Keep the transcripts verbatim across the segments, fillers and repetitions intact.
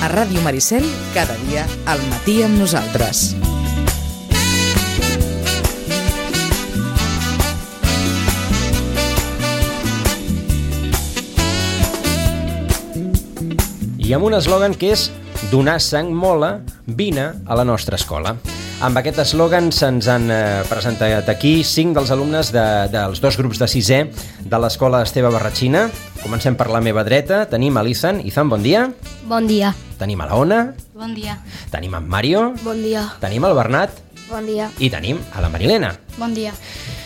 A Ràdio Maricel, cada dia al matí amb nosaltres. I amb un eslògan que és donar sang mola, vine a la nostra escola. Amb aquest eslògan se'ns han eh, presentat aquí cinc dels alumnes de, dels dos grups de sisè de l'escola Esteve Barratxina. Comencem per la meva dreta. Tenim a l'Izan. Izan, bon dia. Bon dia. Tenim a la Ona. Bon dia. Tenim en Mario. Bon dia. Tenim el Bernat. Bon dia. I tenim a la Marilena. Bon dia.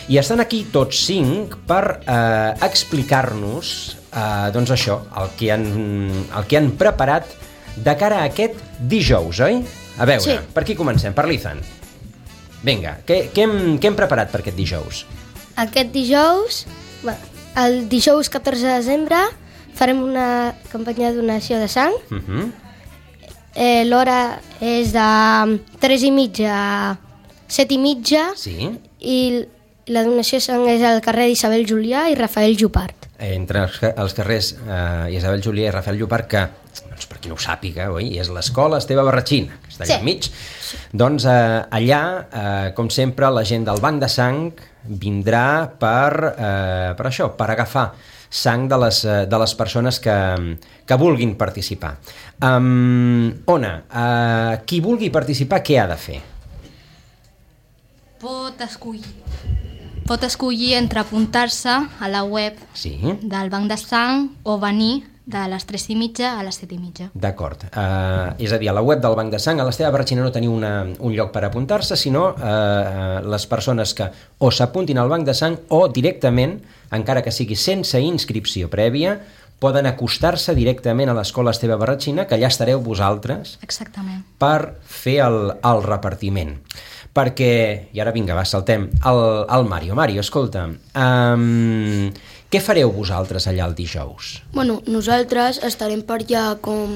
I estan aquí tots cinc per eh, explicar-nos eh, doncs això, el que, han, el que han preparat de cara a aquest dijous, oi? A veure, sí. Per qui comencem? Per l'Izan. Vinga, què, què, hem, què hem preparat per aquest dijous? Aquest dijous, bueno, el dijous catorze de desembre, farem una campanya de donació de sang. Uh-huh. Eh, L'hora és de tres i mitja a set i mitja. Sí. I la donació de sang és al carrer d'Isabel Julià i Rafael Llopart. Entre els, els carrers eh, Isabel Julià i Rafael Llopart, que, doncs, per qui no ho sàpiga, oi? És l'escola Esteve Barratxina, que està allà sí. enmig. Sí. Doncs eh, allà, eh, com sempre, la gent del banc de sang vindrà per, eh, per això, per agafar sang de les, de les persones que, que vulguin participar. Um, Ona, uh, qui vulgui participar, què ha de fer? Pot escollir. Pot escollir entre apuntar-se a la web sí. del banc de sang o venir de les tres i mitja a les set i mitja. D'acord. Uh, és a dir, a la web del banc de sang, a l'Esteve Barratxina no teniu una, un lloc per apuntar-se, sinó uh, les persones que o s'apuntin al banc de sang o directament, encara que sigui sense inscripció prèvia, poden acostar-se directament a l'escola Esteve Barratxina, que allà estareu vosaltres. Exactament. Per fer el, el repartiment. Perquè, i ara vinga, va, saltem, el, el Mario. Mario, escolta, um, què fareu vosaltres allà el dijous? Bueno, nosaltres estarem per allà com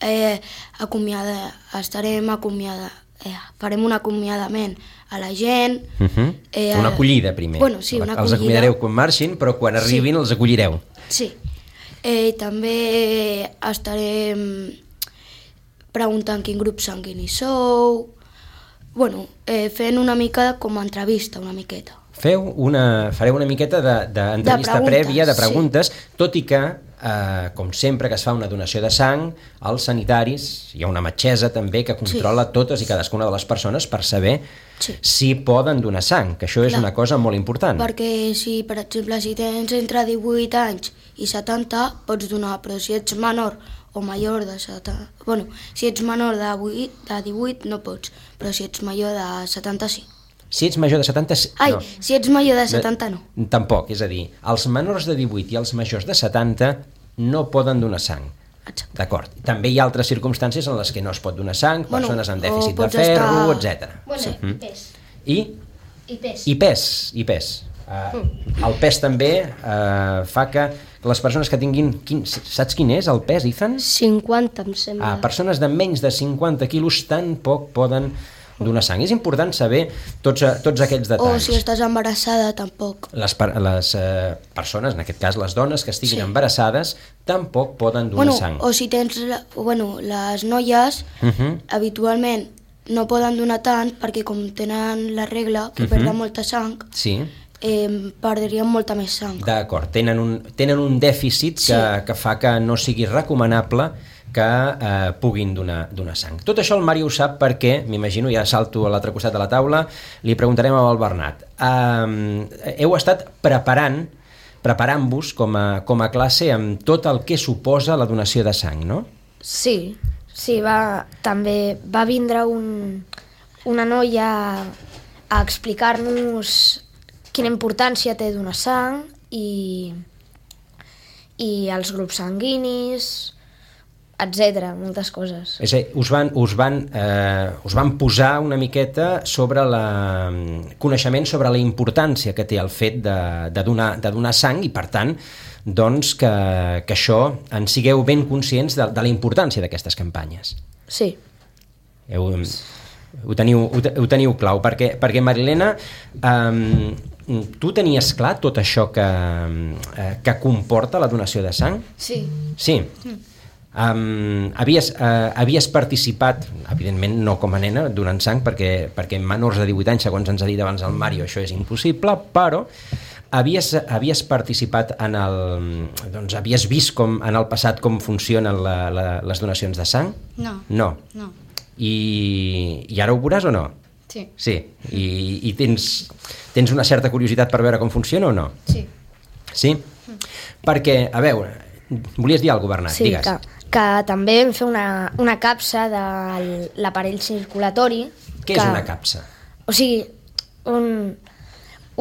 eh, acomiada, estarem acomiada, eh, farem un acomiadament a la gent. Uh-huh. eh, una acollida, primer. Bueno, sí, una acollida. Els acomiadareu quan marxin, però quan arribin sí. els acollireu. Sí. Eh, també estarem preguntant quin grup sanguini sou. Bueno, eh, fent una mica com a entrevista, una miqueta. Feu una, fareu una miqueta d'entrevista de, de prèvia, de preguntes, sí. Tot i que, eh, com sempre que es fa una donació de sang, als sanitaris, hi ha una metgessa també que controla sí. totes i cadascuna de les persones per saber sí. si poden donar sang, que això és Clar. Una cosa molt important. Perquè si, per exemple, si tens entre divuit anys i setanta, pots donar, però si ets menor o major de setanta... Bueno, si ets menor de, vuit, de divuit no pots, però si ets major de setanta sí. Si ets major de setanta... Ai, no. si ets major de setanta no. Tampoc, és a dir, els menors de divuit i els majors de setanta no poden donar sang. Exacte. D'acord. També hi ha altres circumstàncies en les que no es pot donar sang, bueno, persones amb dèficit de ferro, estar... etcètera. Bueno, sí. i pes. I? I pes. I pes, i pes. Uh, mm. El pes també uh, fa que les persones que tinguin... Quin, saps quin és el pes, Izan? cinquanta, em sembla. Ah, persones de menys de cinquanta quilos tan poc poden donar sang. És important saber tots, tots aquests detalls. O si estàs embarassada, tampoc. Les, les uh, persones, en aquest cas les dones que estiguin sí. embarassades, tampoc poden donar bueno, sang. O si tens... Bueno, les noies, uh-huh. habitualment, no poden donar tant perquè com tenen la regla, que uh-huh. perden molta sang... Sí. Eh, perdrien molta més sang. D'acord, tenen un, tenen un dèficit que, sí. que fa que no sigui recomanable que eh, puguin donar, donar sang. Tot això el Mario ho sap perquè, m'imagino, ja salto a l'altre costat de la taula, li preguntarem al Bernat. Eh, heu estat preparant, preparant-vos com a, com a classe amb tot el que suposa la donació de sang, no? Sí, sí, va, també va vindre un, una noia a explicar-nos quina importància té donar sang i, i els grups sanguinis, etcètera, moltes coses. És a dir, us van, us van, eh, us van posar una miqueta sobre la, coneixement sobre la importància que té el fet de, de, donar, de donar sang i, per tant, doncs que, que això en sigueu ben conscients de, de la importància d'aquestes campanyes. Sí. Heu, ho, teniu, ho, ho teniu clau, perquè, perquè Marilena, eh, tu tenies clar tot això que, eh, que comporta la donació de sang? Sí. Sí. Mm. Um, havies, uh, havies participat, evidentment no com a nena, donant sang, perquè, perquè menors de divuit anys, segons ens ha dit abans el Mario, això és impossible, però havies, havies participat en el... doncs havies vist com, en el passat com funcionen la, la, les donacions de sang? No. No. No. I, i ara ho veuràs o no? Sí. Sí. I, i tens, tens una certa curiositat per veure com funciona o no? Sí. Sí? Mm. Perquè, a veure, volies dir alguna cosa, Bernat? Sí, digues. que, que també vam fer una, una capsa de l'aparell circulatori. Què que, és una capsa? O sigui, un,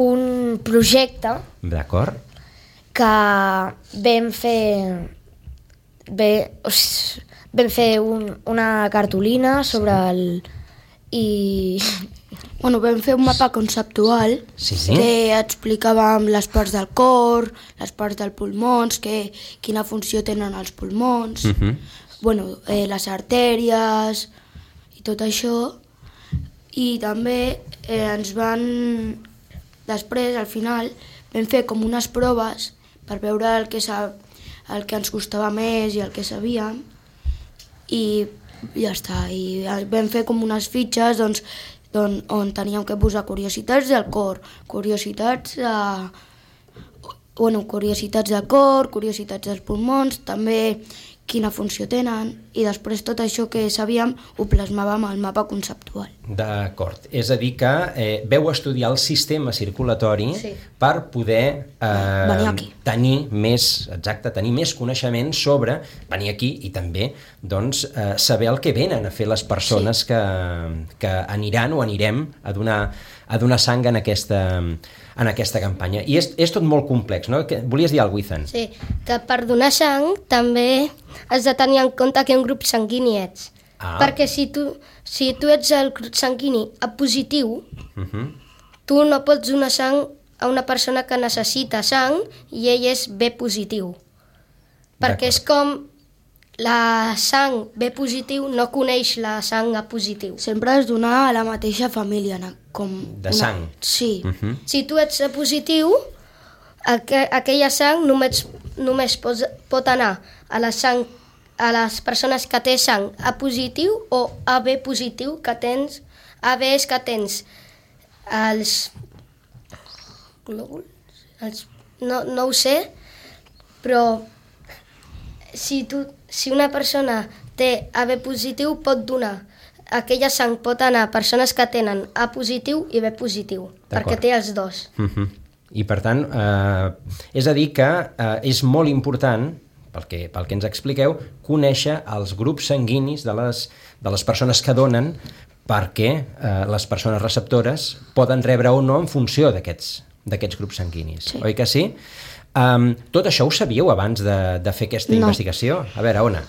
un projecte D'acord. que vam fer... Bé, o sigui, vam fer un, una cartolina sobre el... i... Bueno, vam fer un mapa conceptual Sí, sí. que explicàvem les parts del cor, les parts dels pulmons, que, quina funció tenen els pulmons, Mhm. bueno, eh, les artèries i tot això. I també eh, ens van... Després, al final, vam fer com unes proves per veure el que, sa... el que ens costava més i el que sabíem. I ja està. I vam fer com unes fitxes, doncs, on, on teníem que posar curiositats del cor, curiositats de... bueno, curiositats del cor, curiositats dels pulmons, també quina funció tenen, i després tot això que sabíem ho plasmàvem al mapa conceptual. D'acord. És a dir que eh, veu estudiar el sistema circulatori Sí. per poder eh, Venir aquí. tenir més, exacte, tenir més coneixement sobre venir aquí i també doncs, eh, saber el que venen a fer les persones sí. que, que aniran o anirem a donar, a donar sang en aquesta, en aquesta campanya. I és, és tot molt complex, no? Que, volies dir alguna cosa, Ethan? Sí, que per donar sang també has de tenir en compte que un grup sanguini ets. Ah. Perquè si tu, si tu ets el grup sanguini A positiu, Uh-huh. tu no pots donar sang a una persona que necessita sang i ell és B positiu. Perquè és com la sang B positiu no coneix la sang A positiu. Sempre has donar a la mateixa família, na- com... De sang. Sí. Uh-huh. Si tu ets A positiu, aqu aquella sang només, només pot, pot anar a la sang a les persones que té sang A positiu o A B positiu, que tens A B és que tens els glòbuls, els, no, no ho sé, però si, tu, si una persona té A B positiu pot donar, aquella sang pot anar a persones que tenen A positiu i B positiu, perquè té els dos. Uh-huh. I per tant, eh, és a dir que eh, és molt important, pel que, pel que ens expliqueu, conèixer els grups sanguinis de les, de les persones que donen, perquè eh, les persones receptores poden rebre o no en funció d'aquests d'aquests grups sanguinis. Sí. Oi que sí? Um, tot això ho sabíeu abans de, de fer aquesta No. investigació? A veure, Ona.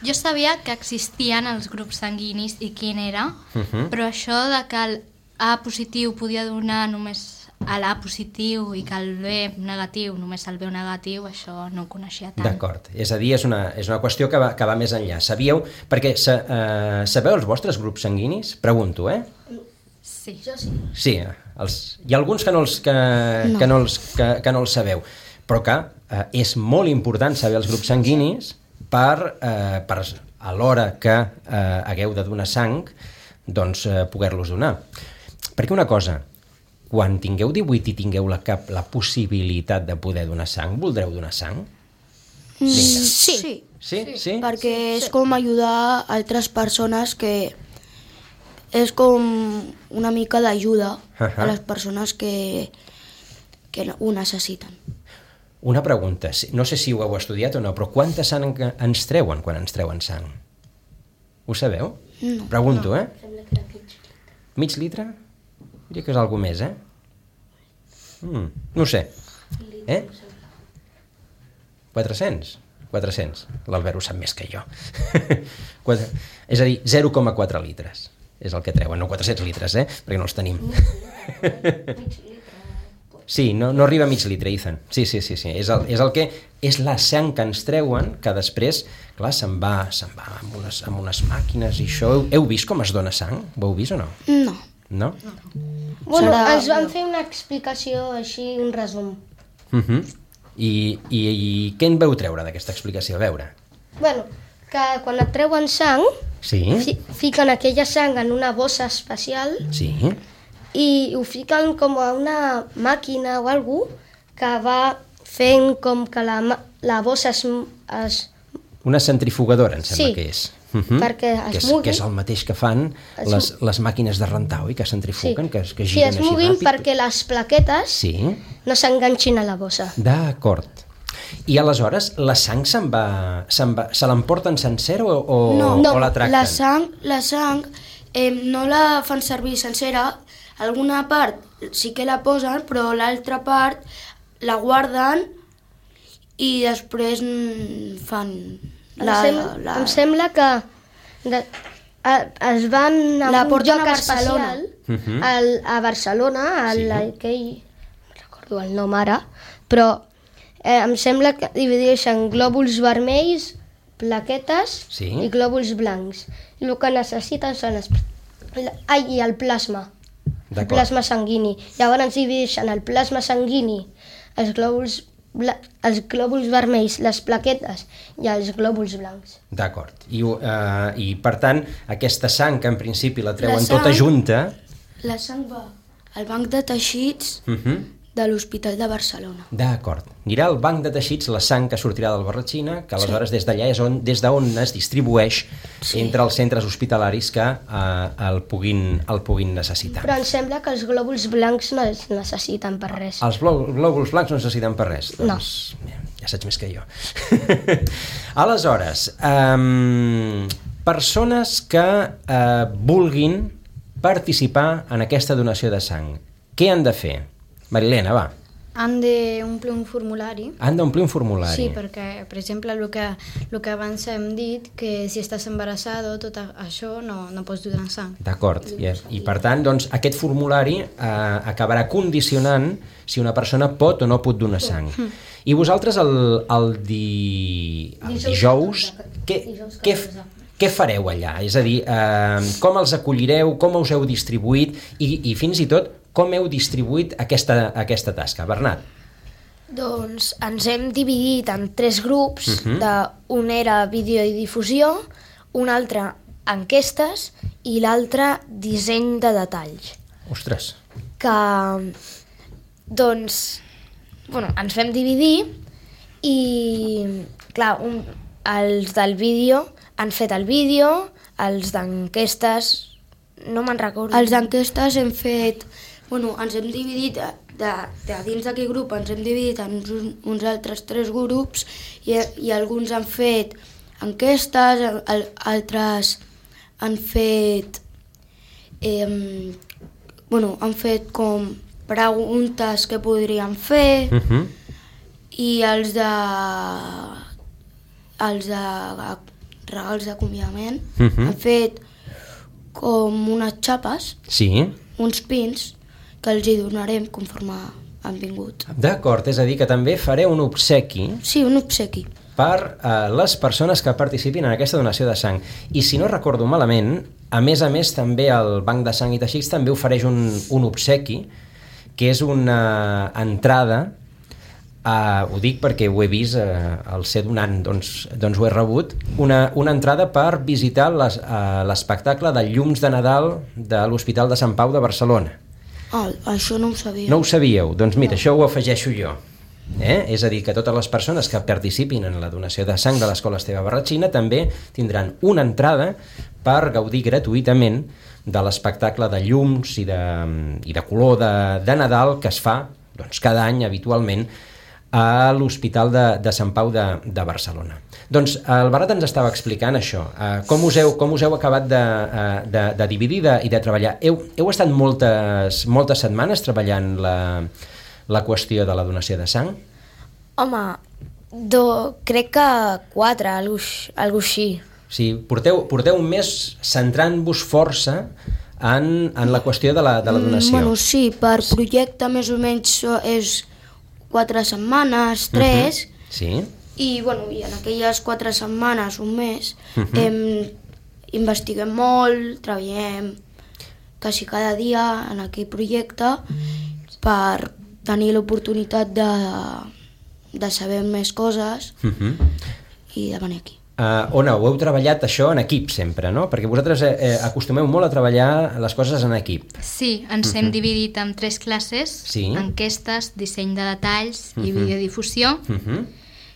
Jo sabia que existien els grups sanguinis i quin era, Uh-huh. però això de que el A positiu podia donar només a l'A positiu i que el B negatiu només el B negatiu, això no ho coneixia tant. D'acord. És a dir, és una, és una qüestió que va, que va més enllà. Sabíeu? Perquè sa, eh, sabeu els vostres grups sanguinis? Pregunto, eh? Sí. Jo sí. Sí, els, hi ha alguns que no els, que, No. que no els, que, que no els sabeu, però que eh, és molt important saber els grups sanguinis per, eh, per a l'hora que eh, hagueu de donar sang, doncs eh, poder-los donar. Perquè una cosa, quan tingueu divuit i tingueu la, cap, la possibilitat de poder donar sang, voldreu donar sang? Vinga. Sí. Sí? Sí? sí? Perquè és com ajudar altres persones que... És com una mica d'ajuda Ahà. a les persones que, que ho necessiten. Una pregunta, si- no sé si ho heu estudiat o no, però quanta sang en- ens treuen quan ens treuen sang? Ho sabeu? No. Pregunto, eh? Mig litre? Diria que és alguna més, eh? Mm, no ho sé. Eh? quatre-cents? quatre-cents. L'Albert ho sap més que jo. Quatre... És a dir, zero coma quatre litres és el que treuen, no quatre-cents litres, eh? Perquè no els tenim. Sí, no, no arriba a mig litre, Ethan. Sí, sí, sí, sí. És, el, és el que és la sang que ens treuen, que després, clar, se'n va, se'n va amb unes, amb unes màquines i això. Heu, heu vist com es dona sang? Ho heu vist o no? No. No? Bueno, Serà- ens van fer una explicació així, un resum. Uh -huh. I, i, I què en veu treure d'aquesta explicació? A veure. Bueno, que quan et treuen sang, Sí, fi, fiquen aquella sang en una bossa especial sí. i ho fiquen com a una màquina o algú que va fent com que la, ma- la bossa es, es Una centrifugadora, em sembla Sí, que és. Uh perquè es que és, mogui. que és el mateix que fan Es les, les màquines de rentar, oi? Que centrifuguen, que, que sí, giren es així moguin ràpid. perquè les plaquetes Sí, no s'enganxin a la bossa. d'acord. I aleshores la sang se'n va, se'n va, se l'emporten sencera o, o, No, o la tracten? la sang, la sang eh, no la fan servir sencera, alguna part sí que la posen, però l'altra part la guarden i després mm, fan la... em, sem la... em sembla que de, a, es van a La un porten lloc a Barcelona. especial Mhm. al, a Barcelona, al, Sí. aquell, no recordo el nom ara, però eh, em sembla que divideixen glòbuls vermells, plaquetes Sí. i glòbuls blancs. I el que necessiten són els, la- ai, i el plasma, el D'acord. plasma sanguini. Llavors divideixen el plasma sanguini, els glòbuls bla- els glòbuls vermells, les plaquetes i els glòbuls blancs. D'acord. I, uh, I, per tant, aquesta sang, que en principi la treuen La sang- tota junta... La sang va al banc de teixits Uh -huh. de l'Hospital de Barcelona. D'acord. Anirà al banc de teixits la sang que sortirà del Barratxina, que aleshores des d'allà és on, des d'on es distribueix Sí. entre els centres hospitalaris que uh, el, puguin, el puguin necessitar. Però em sembla que els glòbuls blancs no els necessiten per res. Els glò- glòbuls blancs no necessiten per res. No. Doncs, ja saps més que jo. Aleshores, um, persones que uh, vulguin participar en aquesta donació de sang, què han de fer? Marilena, va. Han d'omplir un formulari. Han d'omplir un formulari. Sí, perquè, per exemple, el que, el que abans hem dit, que si estàs embarassada, tot això no, no pots donar sang. D'acord. I, I per tant, doncs, aquest formulari eh, acabarà condicionant si una persona pot o no pot donar sang. I vosaltres el, el, di... el dijous, què, què, què fareu allà? És a dir, eh, com els acollireu, com us heu distribuït i, i fins i tot com heu distribuït aquesta, aquesta tasca? Bernat? Doncs ens hem dividit en tres grups, Mhm. uh -huh. de, un era vídeo i difusió, un altre enquestes i l'altre disseny de detalls. Ostres. Que, doncs, bueno, ens vam dividir i, clar, un, els del vídeo han fet el vídeo, els d'enquestes no me'n recordo. Els d'enquestes hem fet... Bueno, ens hem dividit, de, de, de dins d'aquest grup ens hem dividit en uns, uns altres tres grups i, i alguns han fet enquestes, al, altres han fet... Eh, bueno, han fet com preguntes que podrien fer Uh -huh. i els de... els de regals d'acomiadament Mhm. han fet com unes xapes, Sí. uns pins, que els hi donarem conforme han vingut. D'acord, és a dir, que també fareu un obsequi Sí, un obsequi. per a les persones que participin en aquesta donació de sang. I si no recordo malament, a més a més també el Banc de Sang i Teixits també ofereix un, un obsequi, que és una entrada, uh, ho dic perquè ho he vist uh, al ser donant, doncs, doncs ho he rebut, una, una entrada per visitar les, uh, l'espectacle de Llums de Nadal de l'Hospital de Sant Pau de Barcelona. Ah, això no ho sabia. No ho sabíeu? Doncs mira, això ho afegeixo jo. Eh? És a dir, que totes les persones que participin en la donació de sang de l'Escola Esteve Barratxina també tindran una entrada per gaudir gratuïtament de l'espectacle de llums i de, i de color de, de Nadal que es fa doncs, cada any habitualment a l'Hospital de, de Sant Pau de, de Barcelona. Doncs el Bernat ens estava explicant això, eh, com, us heu, com us heu acabat de, eh, de, de dividir de, i de treballar. Heu, heu estat moltes, moltes setmanes treballant la, la qüestió de la donació de sang? Home, do, crec que quatre, algo, algo així. O sigui, porteu, porteu un mes centrant-vos força en, en la qüestió de la, de la donació. Mm, bueno, sí, per projecte més o menys és quatre setmanes, tres, Uh -huh. Sí? i, bueno, i en aquelles quatre setmanes, un mes, Uh -huh. em, investiguem molt, treballem quasi cada dia en aquell projecte per tenir l'oportunitat de, de saber més coses Uh -huh. i de venir aquí. Uh, on ho heu treballat això en equip sempre, no? Perquè vosaltres eh, eh, acostumeu molt a treballar les coses en equip. Sí, ens uh-huh. hem dividit en tres classes, sí. enquestes, disseny de detalls uh-huh. i videodifusió. Uh-huh.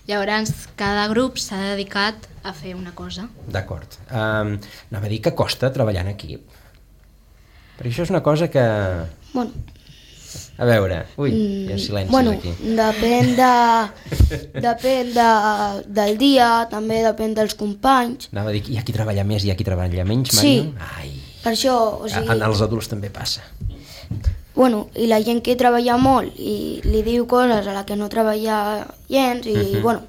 Llavors, cada grup s'ha dedicat a fer una cosa. D'acord. Um, anava a dir que costa treballar en equip. Perquè això és una cosa que... Bueno, a veure, ui, hi ha silencis bueno, aquí. Depèn, de, depèn de, del dia, també depèn dels companys. Anava a dir, hi ha qui treballa més i hi ha qui treballa menys, Sí, Mario? Ai, per això, o sigui... en els adults també passa. Bueno, i la gent que treballa molt i li diu coses a la que no treballa gens i, Mhm. bueno,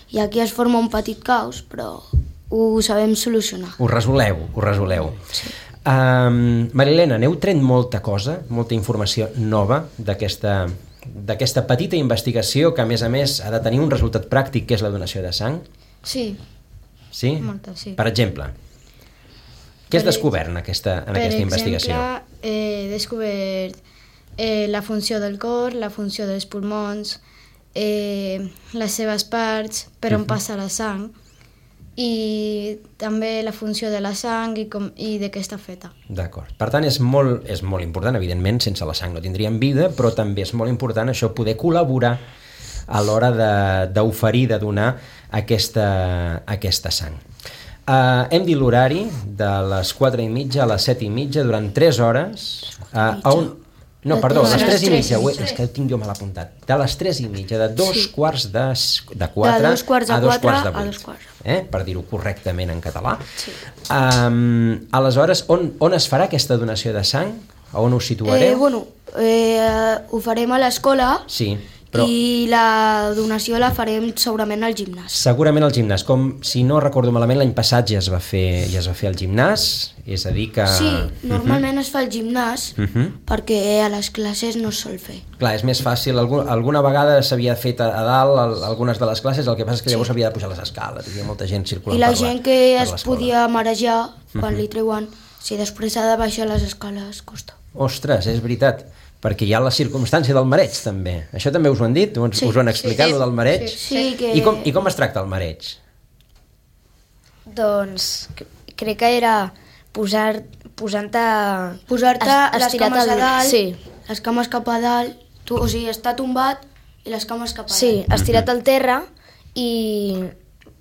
i aquí es forma un petit caos, però ho sabem solucionar. Ho resoleu, ho resoleu. Sí. Um, Marilena, n'heu tret molta cosa, molta informació nova d'aquesta d'aquesta petita investigació que, a més a més, ha de tenir un resultat pràctic, que és la donació de sang? Sí, Sí? molta, sí. Per exemple, què has Per- descobert en aquesta, en per aquesta exemple, investigació? he descobert eh, la funció del cor, la funció dels pulmons, eh, les seves parts, per on Mhm. passa la sang, i també la funció de la sang i, com, i de què està feta. D'acord. Per tant, és molt, és molt important, evidentment, sense la sang no tindríem vida, però també és molt important això, poder col·laborar a l'hora de- d'oferir, de, de donar aquesta, aquesta sang. Uh, hem dit l'horari de les quatre i mitja a les set i mitja durant tres hores. Uh, a on... No, De perdó, a tres les a tres i tres. mitja, ho he- és que ho tinc jo mal apuntat. De les tres i mitja, de dos sí. quarts de, de quatre De dos quarts de a dos quatre quarts de a vuit. dos quarts. Eh? Per dir-ho correctament en català. Sí. Um, aleshores, on, on es farà aquesta donació de sang? A on us situareu? Eh, bueno, eh, ho farem a l'escola Sí, però i la donació la farem segurament al gimnàs. segurament al gimnàs. Com, si no recordo malament, l'any passat ja es va fer, ja es va fer al gimnàs, és a dir que... Sí, normalment es fa al gimnàs Uh -huh. perquè a les classes no es sol fer. Clar, és més fàcil. Algun, alguna vegada s'havia fet a, a dalt al, algunes de les classes, el que passa és que llavors s'havia de pujar les escales, hi havia molta gent circulant I la per la, gent que per es l'escola. podia marejar quan Mhm. li treuen, si després ha de baixar les escales, costa. Ostres, és veritat, perquè hi ha la circumstància del mareig, també. Això també us ho han dit? Us, Sí, us ho han explicat, sí, lo del mareig? Sí, sí que... I, com, I com es tracta el mareig? Doncs c- crec que era posar, posant-te... Posar-te es- les estirat cames a al- dalt, Sí, les cames cap a dalt, tu, o sigui, està tombat i les cames cap a sí, dalt. estirat al terra i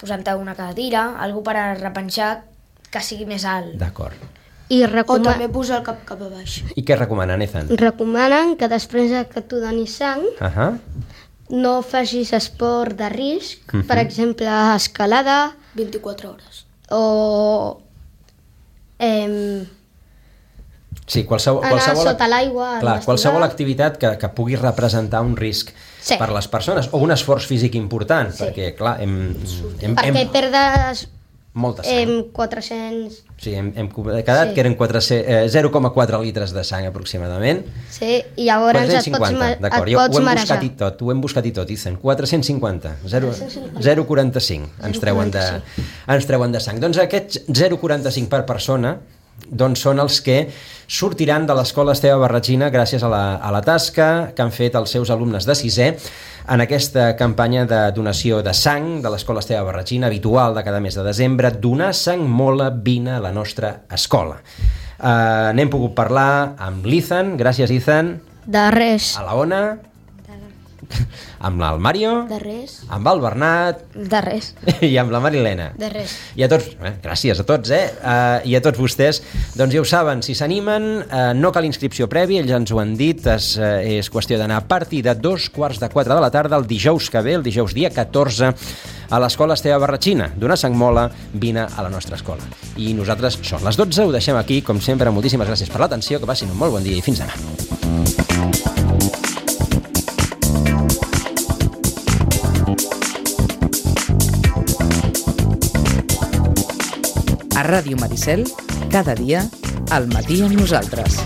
posant-te una cadira, algú per a repenjar que sigui més alt. D'acord. I O recoma també posar el cap cap a baix. I què recomanen, Ethan? recomanen que després de que tu donis sang Uh -huh. no facis esport de risc, Mhm. per exemple, escalada vint-i-quatre hores. o em, Sí, qualsevol, anar qualsevol, sota l'aigua. a clar, investigar. qualsevol activitat que, que pugui representar un risc Sí. per les persones, o un esforç físic important, Sí. perquè, clar, hem, hem, Perquè hem, perdes molta sang. em, quatre-cents... Sí, hem, hem quedat Sí. que eren quatre-cents eh, zero coma quatre litres de sang aproximadament. Sí, i llavors et pots, quatre-cents cinquanta, ma- d'acord, et jo ho pots hem marejar. buscat i tot, ho hem buscat i tot, Ethan. quatre-cents cinquanta, zero coma quaranta-cinc ens treuen, de, ens treuen de sang. Doncs aquests zero coma quaranta-cinc per persona doncs són els que sortiran de l'escola Esteve Barratxina gràcies a la, a la tasca que han fet els seus alumnes de sisè en aquesta campanya de donació de sang de l'escola Esteve Barratxina, habitual de cada mes de desembre. Donar sang mola, vine a la nostra escola. Uh, N'hem pogut parlar amb l'Ethan, gràcies Ethan, De res. a la Ona, amb el Mario, De res. amb el Bernat De res. i amb la Marilena. De res. I a tots, eh, gràcies a tots, eh? Uh, I a tots vostès, doncs ja ho saben, si s'animen, uh, no cal inscripció prèvia, ells ens ho han dit, és, uh, és qüestió d'anar a partir de dos quarts de quatre de la tarda, el dijous que ve, el dijous dia catorze, a l'escola Esteve Barratxina. Donar sang mola, vine a la nostra escola. I nosaltres, són les dotze, ho deixem aquí, com sempre, moltíssimes gràcies per l'atenció, que passin un molt bon dia i fins demà. A Ràdio Maricel, cada dia, al matí amb nosaltres.